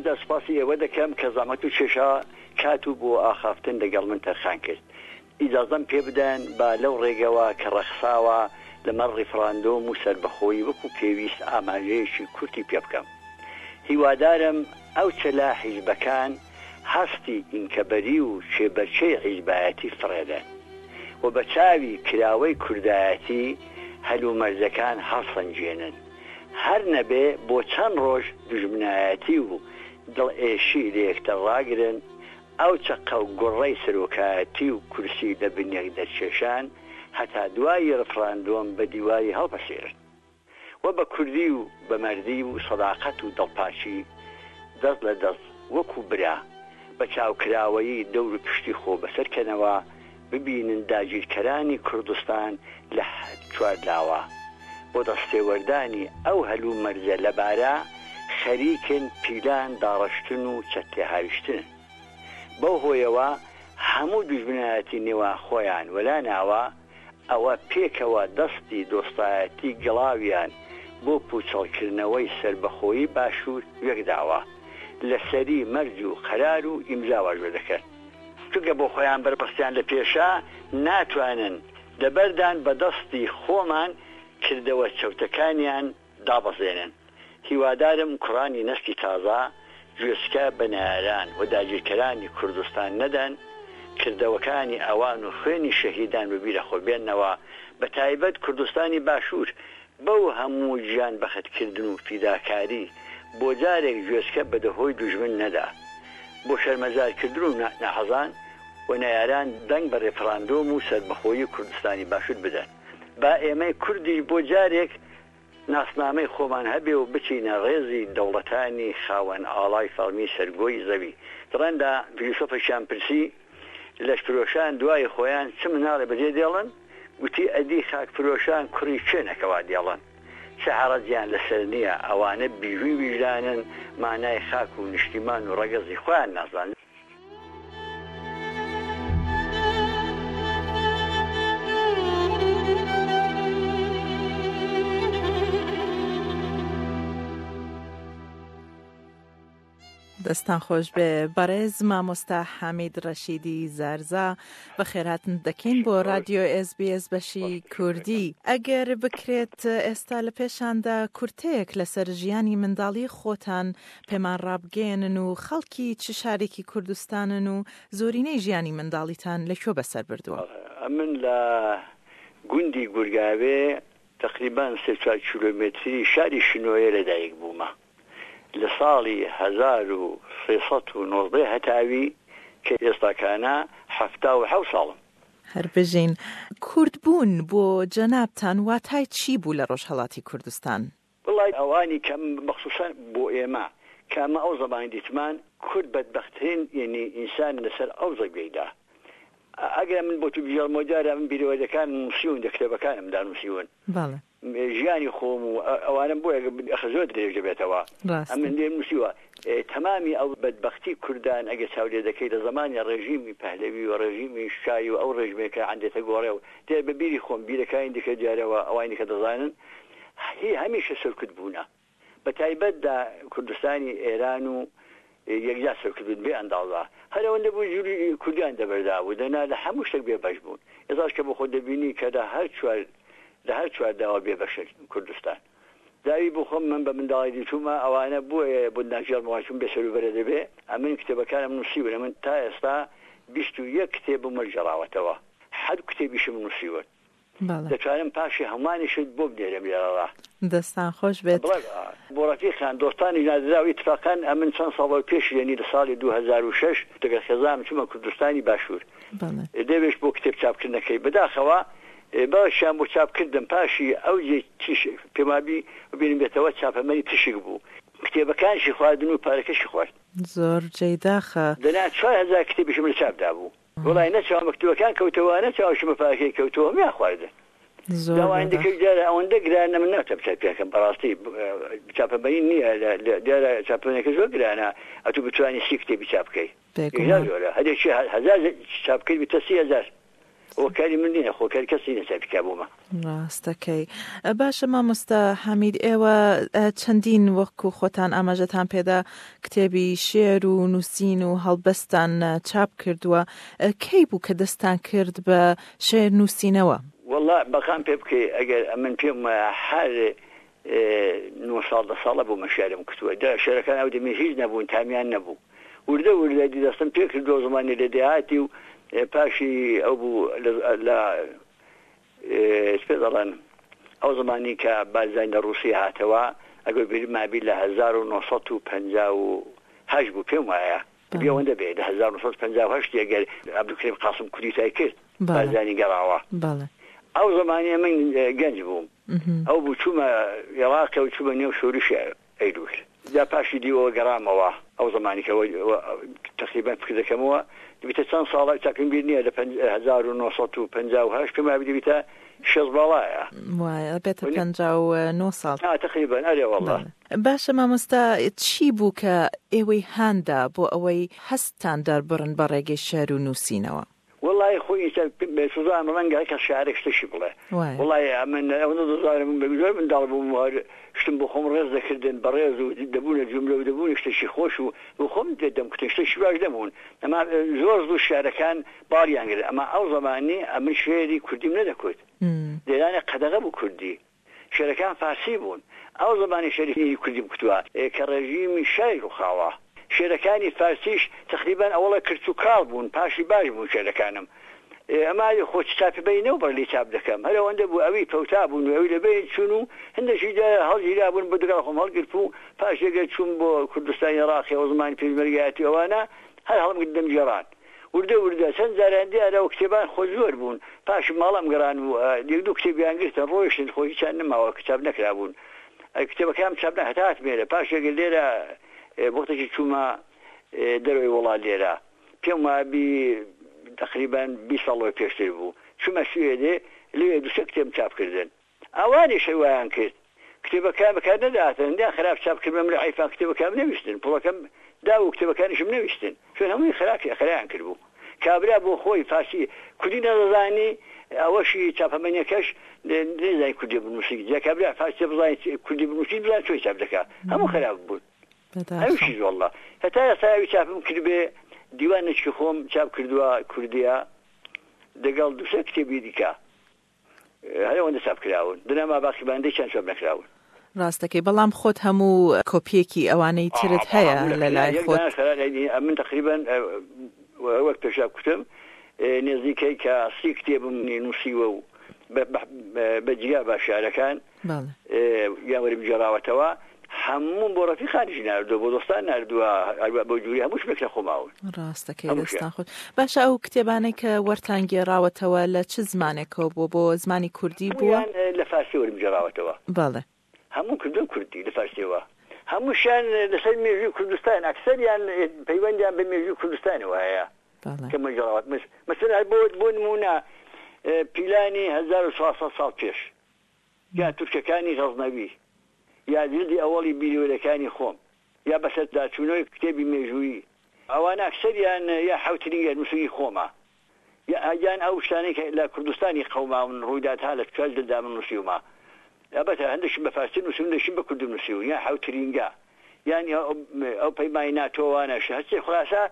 یەکجار سوپاسی ئێوە دەکەم کە زەحمەت و کێشا کات و بۆ ئاخافتن لەگەڵ من تەرخان کرد. ئیجازەم پێ بدەن با لەو ڕێگەوە کە ڕەخساوە لەمەڕ ڕیفڕاندۆم و سەربەخۆیی وەکوو پێویست ئاماژەیەکی کورتی پێ بکەم. هیوادارم ئەو چەلە حیزبەکان هەستی ئینکەبەری و کێبەرکێی حیزبایەتی فڕێدەن و بە چاوی کراوەی کوردایەتی هەلومەرجەکان هەڵسەنگێنن. هەر نەبێ بۆ چەند ڕۆژ دوژمنایەتی و دڵئێشی لە یەکتر ڕاگرن، ئەو چەقە و گوڕەی سەرۆکایەتی و کورسی لە بن یەک دەرکێشان هەتا دوایی ڕفراندۆم بە دیواری هەڵپەسێرن و بە کوردی و بە مەردی و سەداقەت و دڵپاکی دەست لە دەست وەکوو برا بە چاوکراوەیی دەور و پشتی خۆ بەسەر کەنەوە ببینن داگیرکەرانی کوردستان لە چوارلاوە بۆ دەستێوەردانی ئەو هەلومەرجە لەبارە خەریکن پیلان داڕشتن و چەک تێهاویشتنن. بەو هۆیەوە هەموو دوژمنایەتی نێوان خۆیان وەلا ناوە، ئەوە پێکەوە دەستی دۆستایەتی گڵاویان بۆ پوچەڵکردنەوەی سەربەخۆیی باشوور وێکداوە، لەسەری مەرج و قەرار و ئیمزا واژۆ دەکەن. چونکە بۆ خۆیان بەربەستیان لە پێشە ناتوانن دەبەردان بە دەستی خۆمان کردەوە چەوتەکانیان دابەزێنن. هیوادارم کوڕانی نەستی تازە گوێچکە بە نەیاران و داگیرکەرانی کوردستان نەدەن، کردەوەکانی ئەوان و خوێنی شەهیدان بە بیرە خۆ بێننەوە، بە تایبەت کوردستانی باشوور بەو هەموو گیان بەخت کردن و فیداکاری بۆ جارێک گوێچکە بە دەهۆی دوژمن نەدا بۆ شەرمەزار کردن و ناحەزان و نەیاران دەنگ بە رێفراندۆم و سەربەخۆیی کوردستانی باشور بدەن با ئێمەی کوردیش بۆ جارێک ناسنامەی خۆمان هەبێ و بچینە ڕێزی دەوڵەتانی خاوەن ئاڵای فەڕمی سەر گۆی زەوی. دڕەندا فیلسۆفێکیان پرسی، لەشفرۆشان دوای خۆیان چ مناڵێ بەجێ دێڵن؟ گوتی، ئەدی خاکفرۆشان کوڕی کێنە کە وا دێڵن؟ چ هەڕەجیان لەسەر نییە، ئەوانە بیژووی ویژدانن، مانای خاک و نیشتیمان و ڕەگەزی خۆیان نازانن. دەستان خۆش بێ بەڕێز مامۆستا حامید ڕەشیدی زارزا بەخێرهاتن دەکەین بۆ رادیۆ SسBS بەشی کوردی ئەگەر بکرێت ئێستا لە پێشاندا کورتەیەک لەسەر ژیانی منداڵی خۆتان پێمان ڕابگەیەنن و خەڵکی چ شارێکی کوردستانن و زۆرینەی ژیانی منداڵیتان لە کوێ بەسەر بردووە؟ ئەمن لە گوندی گورگاوێ تەقریبەن سێ چوار کیلۆمێتری شاری شنۆیە لە دایک بوومە. لە ساڵی 1319 هەتاوی کە ئێستاکانە 77 ساڵم. هەر بژین. کورد بوون بۆ جەنابتان واتای چی بوو لە ڕۆژهەڵاتی کوردستان؟ وەڵای ئەوانی کە مەخسوسەن بۆ ئێمە کە ئەمە ئەو زەمانی دیتمان کورد بەدبەخترین یەنی ئینسانە لەسەر ئەو زەویەیدا ئەگەر من بۆ تو بگێڕمەوە دیارە من بیرەوەریەکانم نووسیون دە کتێبەکانمدا نووسیون بەڵێ. ژیانی خۆم و ئەوانەم بۆیە ئەخە زۆر درێژ دەبێتەوە ڕاستە. ئەمن لێم نووسیوە تەمامی ئەو بەدبەختی کوردان ئەگەر چاو لێ دەکەی لە زەمانی ڕێژیمی پەهلەوی و ڕێژیمی شای و ئەو ڕێژمەی کە عەندێتە گۆڕێ و دیارە بە بیری خۆم بیرەکانی دیکە دیارەوە ئەوانی دیکە دەزانن هی هەمیشە سەرکوت بوونە بە تایبەت لە کوردستانی ئێران و یەکجا سەرکوت بوون بێ ئەندازە هەر ئەوەندە بوو جولی کوردیان دەبەردا بوو دەنا لە هەموو شتێک بێ بەش بوون ئێستاش کە بۆ خۆت دەبینی کە لە هەر چوار لە هەر چوار داوە بێ بەشە کوردستان داوی بۆ خۆم من بە منداڵی دیتوومە ئەوانە بۆیە بۆ ناگێڕمەوە چون بێ سەروبەرە دەبێ ئەمن کتێبەکانم نووسیون ئەمن تا ئێستا 21 کتێبم وەرگێڕاوەتەوە حەد کتێبیشم نووسیون بەڵێ. دەتوانم پاشی هەموانیشت بۆ بنێرم لێرەڕا. دەستان خۆش بێت. بڵێ بۆ ڕەفیقان دۆستانیش نادراو ئیتفاقەن ئەمن چەند ساڵەوە پێش یەنی لە ساڵی 2006 دەگەڵ خێزانم چوومە کوردستانی باشوور بەڵێ. لەوێش بۆ کتێب چاپ کردنەکەی بەداخەوە بەشیان بۆ چاپ کردم پاشی ئەو جێ تیش پێم وابی بیرم بێتەوە چاپەمەنی تشک بوو کتێبەکانیشی خواردن و پارەکەشی خوارد. زۆر جێی داخە. دەنا 4000 کتێبیشم لە چاپ دابوو. وەڵای نە چاوم بە کتێبەکان کەوتەوە نە چاوشم بە پارەکەی کەوتەوە هەموویان خواردن زۆر داوایان بەداخ. دەکرد دیارە ئەوەندە گرانە من ناتوانم چاپیان کەم بەڕاستی چاپەمەنی نییە دیارە چاپەمەنیەکە زۆر گرانە ئەتوو بتوانی سی کتێبی چاپ بکەی یەکجار بێگومان. زۆرە هەرێکی هەزار چاپ بکەیت بتە 30 هەزار. ئەوە کاری من نییە خۆ کاری کەسی نییە چاپی کا بۆمە. ڕاستەکەی. باشە مامۆستا حەمید ئێوە چەندین وەکو خۆتان ئاماژەتان پێدا کتێبی شێر و نووسین و هەڵبەستان چاپ کردووە کەی بوو کە دەستان کرد بە شێر نووسینەوە؟ وەڵا بەقام پێ بکەی ئەگەر ئەمن پێم وایە هەر نۆ ساڵ دە ساڵە بوومە شێعرم کوتووە جا شێعرەکان ئەو دەمی هیچ نەبوون تامیان نەبوو وردە وردە دی دەستم پێ کردووە زمانی لە دێهاتی و پاشی ئەو بوو لە چ پێ دەڵێن ئەو زمانی کە بارزانی لە ڕووسیە هاتەوە ئەگەر بیرم مابی لە 1958 بوو پێم وایە دەبی ئەوەندە بێ لە 1958 ئەگەر عەبدولکەریم قاسم کودیتای کرد بارزانی گەڕاوە ئەو زمانیە من گەنج بووم ئەو بوو چوومە ئێڕاقێ و چوومە نێو شۆرشی ئەیلوول جا پاشی دیوەوە گەڕامەوە ئەو زەمانی کە تەقریبەن فکر دەکەمەوە دەبیتە چەند ساڵە چاکم بیر نییە لە 1958 پێم وایە دەبیتە شێست باڵایە. وایە بێتە 59 ساڵ. ها تەقریبەن ئەرێ وەڵا. باشە مامۆستا چی بوو کە ئێوەی هاندا بۆ ئەوەی هەستتان دەربڕن بە ڕێگەی شێعر و نووسینەوە؟ وەڵایی خۆ ئینسان سوزان ڕەنگە هەر کەس شاعرێک شتەشی بڵێ وەڵایی ئەمن ئەوەندە دەزانم زۆر منداڵ بووم و هەر شتم بۆ خۆم ڕێز دەکردن بەڕێز و دەبوونە جوملە و دەبوونە شتەشی خۆش و بۆ خۆم دەمکوتن شتەشی باش نەبوون ئەما زۆر زوو شعرەکان باڵیان گرت ئەما ئەو زەمانی ئەمن شعری کوردیم نەدەکوت لێرانە قەدەغە بوو کوردی شێرەکان فارسی بوون. ئەو زمانی شێری کوردیم کوتوە کە ڕێژیمی شای ڕووخاوە. شێرەکانی فارسیش تەقریبەن ئەوەڵە کرچ و کاڵ بوون پاشی باش بوون شێرەکانم. ئەما خۆ چ چاپی بەی نەو بەر لی چاپ دەکەم. هەر ئەوەندە بوو ئەوی پەوتا بوون و ئەوی لە بەین چوون و هەندەکی جا هەڵگیرابوون بۆ دەگەڵ خۆم هەڵگرتبوو. پاشی گەر چووم بۆ کوردستانی عێڕاقی ئەو زمانی پێشمەرگایەتی و ئەوانە هەر هەڵمگرت دەمگێڕان. وردە وردە چەند جاریان دیارە و کتێبان خۆ زۆر بوون پاش ماڵم گەڕان و یەک دوو کتێبیان گرتن ڕۆیشتن خۆ هیچیان نەماوە کە چاپ نەکرابوون کتێبەکانم چاپ نە هەتا هاتم ئێرە پاش ئەگەر لێرە وەختێکی چوومە دەرەوەی وڵات لێرە پێم وابی تقریبا 20 ساڵ لەوە پێشتر بوو چوومە سوێدێ لەوێ دوو سێ کتێبم چاپ کردن ئەوانیش هەر وایان کرد کتێبەکان بەکار نەدەهاتن هەندیان خراپ چاپ کردبوون من عیفان کتێبەکانم نەویستن پوڵەکەم دا و کتێبەکانیشم نەویستن چون هەمووی خراپی خرایان کردبوو کابرا بۆ خۆی فارسی کوردی نەدەزانی ئەوەشی چاپەمەنیەکەش نەیزانی کوردی بنووسی جا کابرا فارسی بزانێت کوردی بنووسی بزانێت چۆن چاپ دەکا هەموو خراپ بوون ئەویشی واللە هەتا ئێستا ئەوی چاپم کردبێ دیوانێکی خۆم چاپ کردووە کوردیە دەگەڵ دوو سێ کتێبی دیکە هەر ئەوەندە چاپ کراون دنا ما باقی باندێکیان چاپ نەکراون. ڕاست دەکەی بەڵام خۆت هەموو کۆپیەکی ئەوانەی ترت هەیە لە لای خۆت. ئەمن تەقریبەن وەک پێشا کوتم نێزیکەی کە سی کتێبم نووسیوە و بە جیا بە شارەکان یان وەرم گێڕاوەتەوە هەمووم بۆ ڕەفیقانیش ناردووە بۆ دۆستان ناردووە هەروە بەو جوری هەموو شتێک لە خۆ ماون. ڕاستەکەی دەستان خۆش. باشە ئەو کتێبانەی کە وەرتان گێڕاوەتەوە لە چ زمانێکەوە بووە بۆ زمانی کوردی بووە؟ هەموویان لە فارسی وەرم گێڕاوەتەوە. بەڵێ. هەموو کردووە کوردی لە فارسیەوە. هەمووشیان لەسەر مێژووی کوردستان ئەکسەریان پەیوەندیان بە مێژووی کوردستانەوە هەیە. بەڵێ. کە من گێڕاوەت مەسەلەن هەر بۆ بۆ نموونە پیلانی 1400 ساڵ پێش یا تورکەکانی غەزنەوی، یا جلدی ئەوەڵی بیرەوەریەکانی خۆم، یا بەسەرداچوونەوەی کتێبی مێژوویی، ئەوانە ئەکسەریان یا حەوترین یا نووسینی خۆمە، یا یان ئەو شتانەی کە لە کوردستانی قەوماون ڕوویدات ها لە چوار جلدا من نووسیومە. ئەلبەتە هەندێکشم بە فارسی نووسیون هەندێکشم بە کوردی نووسیون، یا حەوترینگە، یان ئەو پەیمانی ناتۆوانەش، هەرچی خولاسە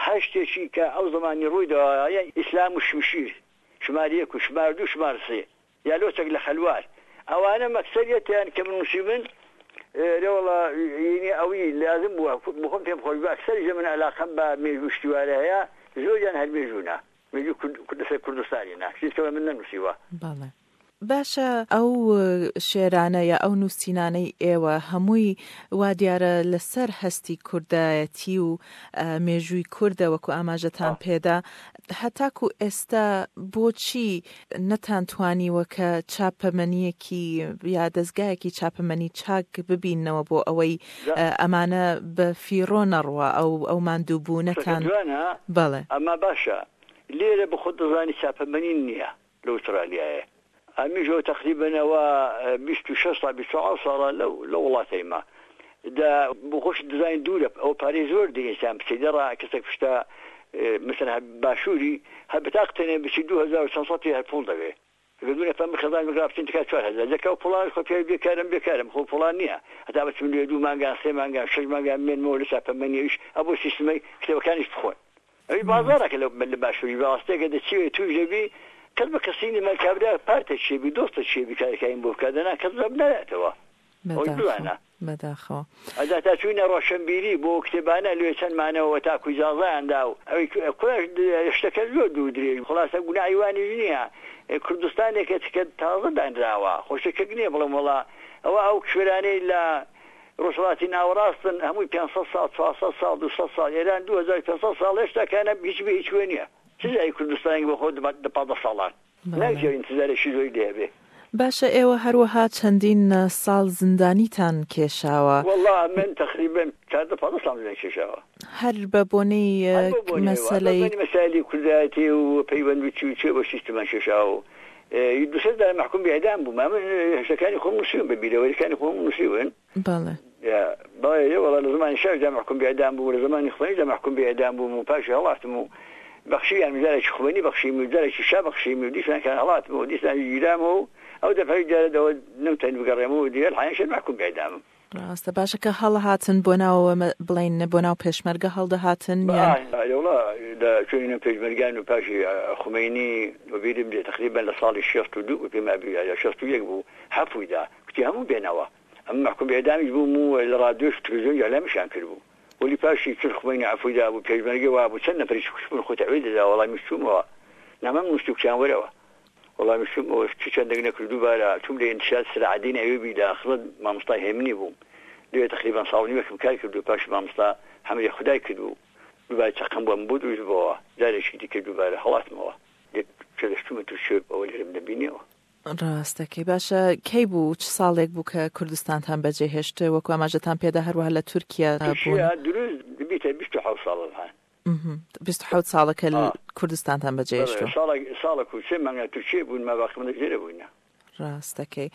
هەر شتێکی کە ئەو زەمانی ڕوویداوە، یان ئیسلام و شمشیر، شمار یەک و شمار دوو شمار سێ. یا لۆچەک لە خەلوار ئەوانە مەکسەریەتیان کە من نووسیبن رێوەڵا یینی ئەوی لازم بووە بخۆم پێم خۆش بوو ئەکسەریش من عەلاقەم بە مێژوو شتیوارە هەیە زۆریان هەر مێژوونە مێژوو کورد لەسەر کوردستانی نا شتی کە من نەنووسیوە. بەڵێ باشە ئەو شێرانە یا ئەو نووسینانەی ئێوە هەمووی وا دیارە لەسەر هەستی کوردایەتی و مێژووی کوردە وەکو ئاماژەتان پێدا هەتاکو ئێستا بۆچی نەتانتوانیوە کە چاپەمەنییەکی یا دەزگایەکی چاپەمەنی چاک ببیننەوە بۆ ئەوەی ئەمانە بە فیڕۆ نەڕوا ئەو ئەو ماندووبوونەتان قسەکەت جوانە بەڵێ. ئەما باشە لێرە بەخۆت دەزانی چاپەمەنی نییە لە ئوسترالیایێ ئەمیش ئەو تەقریبەن ئەوە 26 ساڵ 27 ساڵە لەو لە وڵاتەیمە دە بۆ خۆشت دەزانی دوورە ئەو پارەی زۆر دێ ئینسان بچێ دەڕا کەسێک پشتە. مەسەلەن هەر باشووری هەر بتاق تەنێ بچی 2000 چەند سەتی هەر پوڵ دەوێ. ئەگەر دوو نەفەر من خێزانم لەگەڵا بچین تکا 4000 دەکا و پوڵانش خۆ پیاوی بێکارم بێکارم خۆ پوڵان نییە هەتا بچم لێ دوو مانگان سێ مانگان شەش مانگان بمێنمەوە لە چاپەمەنی ئەویش ئەبۆ سیستمەی کتێبەکانیش بخۆن. ئەوی بازاڕەکە لە لە باشووری بەڕاستیەکە دەچی تووش دەبی کەس بە کەسی نیە کابرا پارتە چێ بی دۆستە چێ بی کارەکانی بۆ بکات دەنا کەس بە نایەتەوە ئەوەی بەداخەوە بزانە بەداخەوە. ئەجا تا چووینە ڕۆشنبیری بۆ کتێبانە لێ چەند مانەوە تاکو ئیجازەیان دا و ئەوی کوڕەش شتەکە زۆر دوور درێژ خوڵاسە گوناحی وانیش نییە کوردستانێکە کە تازە دانراوە خۆ شتێک نییە بڵێم وەڵا ئەوە ئەو کشوەرانەی لە ڕۆژهەڵاتی ناوەڕاستن هەمووی 500 ساڵ 400 ساڵ 200 ساڵ ئێران 2500 ساڵ هێشتا کانە هیچ بێ هیچ کوێ نییە چ جای کوردستانێک بۆ خۆ دە 15 ساڵان ناکرێ ئینتزارێکی زۆری لێ هەبێ. باشە ئێوە هەروەها چەندین ساڵ زیندانیتان کێشاوە. وەڵا من تەقریبەن 14 15 ساڵم زیندان کێشاوە. هەر بە بۆنەی هەر بەو بۆنەیەوە، هەر بە مەسەلەی. بۆنەی مەسایلی کوردایەتی و پەیوەند و چی و چی بۆ سیستمان کێشاوە و دوو سێ جار مەحکوم بە ئیعدام بووم. ئەمن شتەکانی خۆم نووسیوم بە بیرەوەریەکانی خۆم نووسیون. بەڵێ. بەڵێ وەڵا لە زەمانی شاش دا مەحکوم بە ئیعدام بووم و لە زەمانی خومەینی دا مەحکوم بە ئیعدام بووم و پاشی هەڵاتم و بەخشیان جارێکی خومەینی بەخشیم و جارێکی شا بەخشیم و دیسان کە هەڵاتم و دیسان گیرامەوە و ئەو دەفعەی جارە دەوە نەمتوانی بگەڕێمەوە و دیگە الحین شەر مەحکوم بە ئیعدامم. ڕاستە باشە کە هەڵەهاتن بۆ ناو بڵێین بۆ ناو پێشمەرگە هەڵدەهاتن یان؟ ئەرێ وەڵا لە چووینە پێشمەرگان و پاشی خومەینی وەبیرم دێ تەقریبەن لە ساڵی 62 بوو پێم وابی یا 61 بوو عەفوی دا کوتی هەموو بێنەوە ئەمن مەحکوم بە ئیعدامیش بووم و لە ڕادیۆش و تلویزیۆنیش ئیعلامیشیان کردبوو وەلی پاشی چون خومەینی عەفوی دابوو پێشمەرگە وابوو چەند نەفەریش کوشتبوون خۆی تەعویل دەدا وەڵا منیش چوومەوە نامەم نووست و کوتیان وەرەوە وەڵا منیش چوومەوە چ چەندێک نەکرد دووبارە چووم لە ئینشات سەلاحەدین ئەیوبی لە خزمەت مامۆستا هێمنی بووم لەوێ تەقریبەن ساڵ و نیوێکم کار کرد و پاشی مامۆستا حەمری خودای کرد و دووبارە چەقەم بۆم بۆ دروست بۆوە جارێکی دیکە دووبارە هەڵاتمەوە لێ کە دەچوومە تورکیە ئەوە لێرەم دەبینیەوە. ڕاست دەکەی باشە کەی بوو چ ساڵێک بوو کە کوردستانتان بەجێ هێشت وەکو ئاماژەتان پێدا هەروەها لە تورکیا بوون؟ تورکیا دروست دبیتە 27 ساڵ الان. 27 ساڵە کە کوردستانتان بەجێ هێشتووە. ساڵێک ساڵێک و سێ مانگە تورکیە بوون ما باقی مدەت لێرە بووینە. ڕاست دەکەی.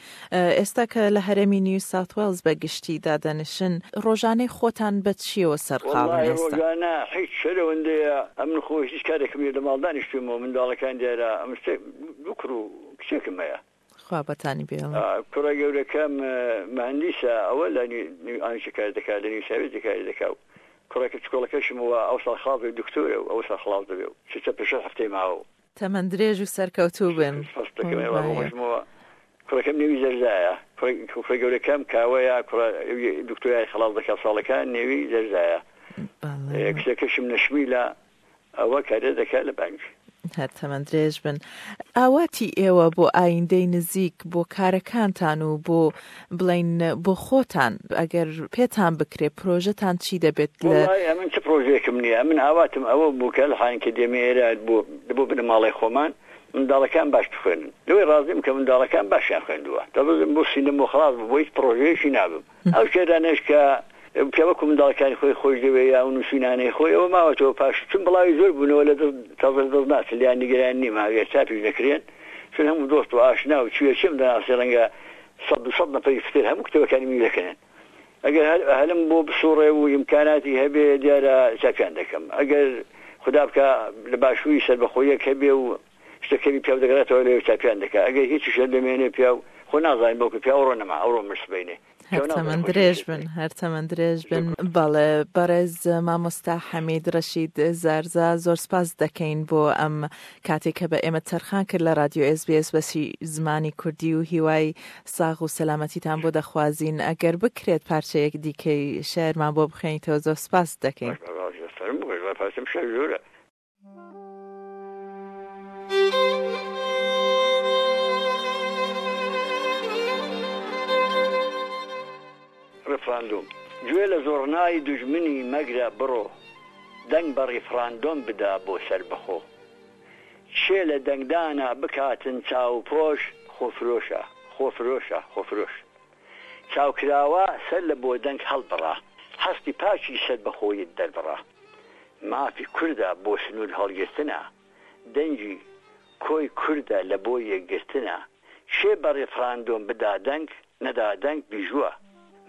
ئێستا کە لە هەرێمی نیو ساوت وێڵز بە گشتی دادەنیشن ڕۆژانەی خۆتان بە چییەوە سەرقاڵن وەڵاهی ئێستا؟ ڕۆژانە هیچ هەر ئەوەندەیە ئەمن خۆ هیچ کارێکم نیە لە ماڵ دانیشتوومەوە منداڵەکان دیارە ئەمن سێ دوو کوڕ و کچێکم هەیە. خوا بەتانی بێڵێ. کوڕە گەورەکەم مهندیسە ئەوە لە نیو ئانیشە کار دەکا لە نیو ساوێزی کاری دەکا و کوڕەکە چکۆڵەکەشم وا ئەوساڵ خاڵ بێ دکتۆرە و ئەوساڵ خڵاس دەبێ و چ چە پێ شەش هەفتەی ماوە و. تەمەن درێژ و سەرکەوتوو بن. سپاست دەکەم ئێوە بۆ خۆشمەوە کوڕەکەم نێوی زەرزایە کوڕە گەورەکەم کاوەیە کوڕە دکتۆرای خەڵاس دەکا ساڵەکە نێوی زەرزایە کچەکەشم نەشمیلە ئەوە کارێ دەکا لە بانک. هەر تەمەن درێژ بن. ئاواتی ئێوە بۆ ئایندەی نزیک بۆ کارەکانتان و بۆ بڵێین بۆ خۆتان ئەگەر پێتان بکرێ پرۆژەتان چی دەبێت لە. وەڵای ئەمن چ پرۆژەیەکم نییە ئەمن ئاواتم ئەوە بوو کە الحان کە دێمە ئێرە بۆ بۆ بنەماڵەی خۆمان منداڵەکان باش بخوێنن لەوەی ڕازیم کە منداڵەکان باشیان خوێندووە دەڵێم بۆ سینەم و خەڵاس بوو بۆ هیچ پرۆژەیەکی نابم ئەو شێرانەش کە کە وەکو منداڵەکانی خۆی خۆش دەوێ یا ئەو نووسینانەی خۆی ئەوە ماوەتەوە پاش چون بڵاوی زۆر بوونەوە لە دەست تازە لە دەست ناچن لێیان نیگەران نیم ئەگەر چاپیش نەکرێن چون هەموو دۆست و ئاشنا و چیە چیم دەناسی ڕەنگە سەد دوو سەد نەفەری پتر هەموو کتێبەکانی منی دەکەنن ئەگەر هەر هەلم بۆ بسوڕێ و ئیمکاناتی هەبێ دیارە چاپیان دەکەم ئەگەر خودا بکا لە باشووری سەربەخۆیەک هەبێ و شتەکەوی پیاو دەگەڕێتەوە لەوێ چاپیان دەکا ئەگەر هیچیش هەر دەمێنێ پیاو خۆ نازانین بەڵکو پیاو ئەوڕۆ نەما ئەوڕۆ مرد سبەینێ هەر پیاو نازانێ تەمەن خۆی چی درێژ بەسەر بن دێ. هەر تەمەن درێژ بن. شکر. بەڵێ بەڕێز مامۆستا حەمید ڕەشید زارزا زۆر سپاست دەکەین بۆ ئەم کاتەی کە بە ئێمەت تەرخان کرد لە ڕادیۆ ئێس بی ئێس بەشی زمانی کوردی و هیوای ساغ و سەلامەتیتان بۆ دەخوازین ئەگەر بکرێت پارچەیەک دیکەی شعرمان بۆ بخوێنیتەوە زۆر سپاست دەکەین. باش باش فەرموو بەش پارچەم شعر زۆرە. ڕیفراندۆم، گوێ لە زوڕنای دوژمنی مەگرە بڕۆ دەنگ بە ڕیفراندۆم بدە بۆ سەربەخۆ. کێ لە دەنگدانا بکاتن چاوپۆش خۆفرۆشە خۆفرۆشە خۆفرۆش. چاوکراوە سەر لە بۆ دەنگ هەڵبڕە هەستی پاکی سەربەخۆیت دەربڕە. مافی کوردە بۆ سنوور هەڵگرتنە دەنگی کۆی کوردە لە بۆ یەکگرتنە کێ بە ڕیفڕاندۆم بدا دەنگ نەدا دەنگ بیژوە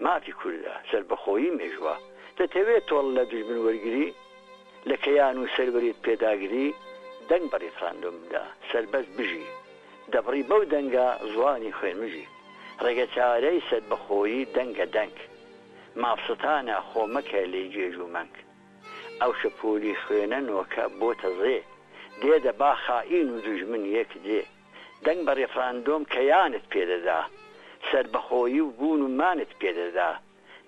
مافی کوردە سەربەخۆیی مێژوە دەتەوێ تۆڵە لە دوژمن وەرگری؟ لە کەیان و سەروەریت پێداگری، دەنگ بە ڕیفراندۆم بدە، سەربەست بژی. دەبڕی بەو دەنگە زوانی خوێنمژی. ڕێگەچارەی سەربەخۆیی دەنگە دەنگ. مافستانە خۆ مەکە لێی گێژ و مەنگ. ئەو شەپۆلی خوێنە نۆکە بۆتە زێ. دێ دەبا خائین و دوژمن یەک جێ. دەنگ بە ڕێفراندۆم کەیانت پێ دەدا. سەربەخۆیی و بوون و مانت پێ دەدا.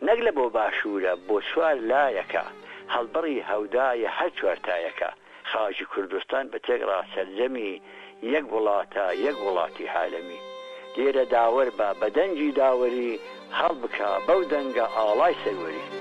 نەک لە بۆ باشوورە بۆ چوار لایەکە هەڵبڕی هەودایە هەر چوارتایەکە خاکی کوردستان بە تێکڕا سەرجەمی یەک وڵاتە یەک وڵاتی عالەمی لێرە داوەر بە بە دەنگی داوەری هەڵبکا بەو دەنگە ئاڵای سەروەری.